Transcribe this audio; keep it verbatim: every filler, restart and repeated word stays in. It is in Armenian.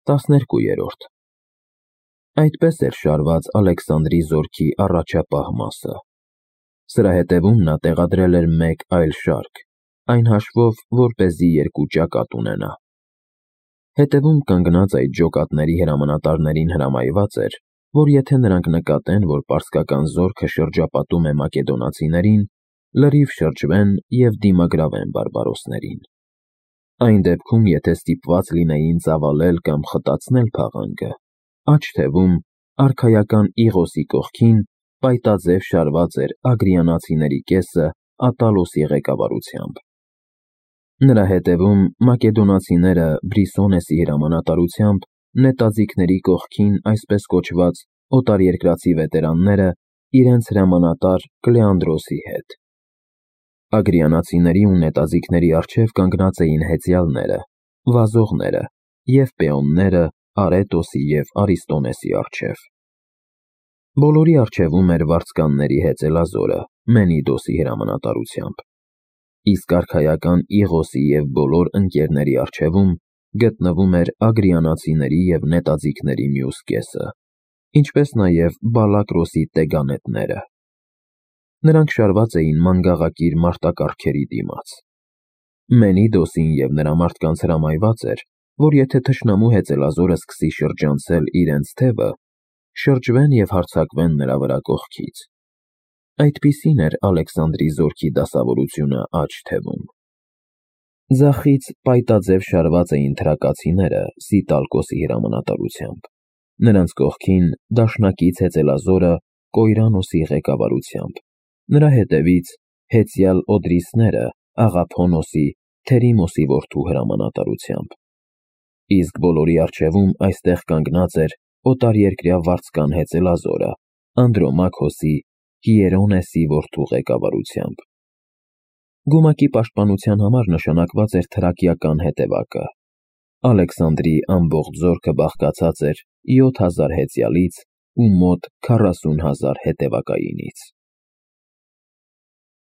տասներկուերորդ Այդպես էր շարված Ալեքսանդրի զորքի առաջապահ մասը։ Սրա հետևում նա տեղադրել էր մեկ այլ շարք, այն հաշվով, որպեսզի երկու ճակատ ունենա։ Հետևում կանգնած այդ ջոկատների հրամանատարներին հրամայված էր, որ եթե նրանք նկատեն, որ պարսկական զորքը շրջապատում է մակեդոնացիներին, լրիվ շրջվեն և դիմագրավեն բարբարոսներին։ Այն դեպքում, եթե ստիպված լինեին ծավալել կամ խտացնել փաղանգը, աջ թևում, արքայական Իղոսի կողքին, պայտաձև շարված էր ագրիանացիների կեսը Ատալոսի ղեկավարությամբ։ Նրա հետևում մակեդոնացիները Բրիսոնեսի հրամանատարությամբ նետաձիգների կողքին այսպես կոչված օտարերկրացի վետերանները իրենց հրամանատար Կլեանդրոսի հետ։ Ագրիանացիների ու նետաձիգների առջև կանգնած էին հեծյալները, վազողները և պեոնները Արետոսի և Արիստոնեսի առջև։ Բոլորի առջևում էր վարձկանների հեծելազորը Մենիդոսի հրամանատարությամբ, իսկ արքայական Իղոսի և բոլոր ընկերների առջևում գտնվում էր ագրիանացիների և նետաձիգների մյուս կեսը, ինչպես նաև Բալակրոսի տեգանետները։ Նրանք շարված էին մանգաղակիր մարտակառքերի դիմաց։ Մենիդոսին և նրա մարդկանց հրամայված էր, որ եթե թշնամու հեծելազորը սկսի շրջանցել իրենց թևը, շրջվեն և հարձակվեն նրա վրա կողքից։ Այդպիսին էր Ալեքսանդրի զորքի դասավորությունը աջ թևում։ Ձախից պայտաձև շարված էին թրակացիները Սիտալկոսի հրամանատարությամբ, նրանց կողքին դաշնակից հեծելազորը Կոյրանոսի ղեկավարությամբ, նրա հետևից հեծյալ օդրիսները Աղափոնոսի, Թերիմոսի որդու հրամանատարությամբ, իսկ բոլորի առջևում այստեղ կանգնած էր օտարերկրյա վարձկան հեծելազորը Անդրոմաքոսի, Հիերոնեսի որդու ղեկավարությամբ։ Գումակի պաշտպանության համար նշանակված էր թրակիական հետևակը։ Ալեքսանդրի ամբողջ զորքը բաղկացած էր յոթ հազար հեծյալից ու մոտ քառասուն հազար հետևակայինից։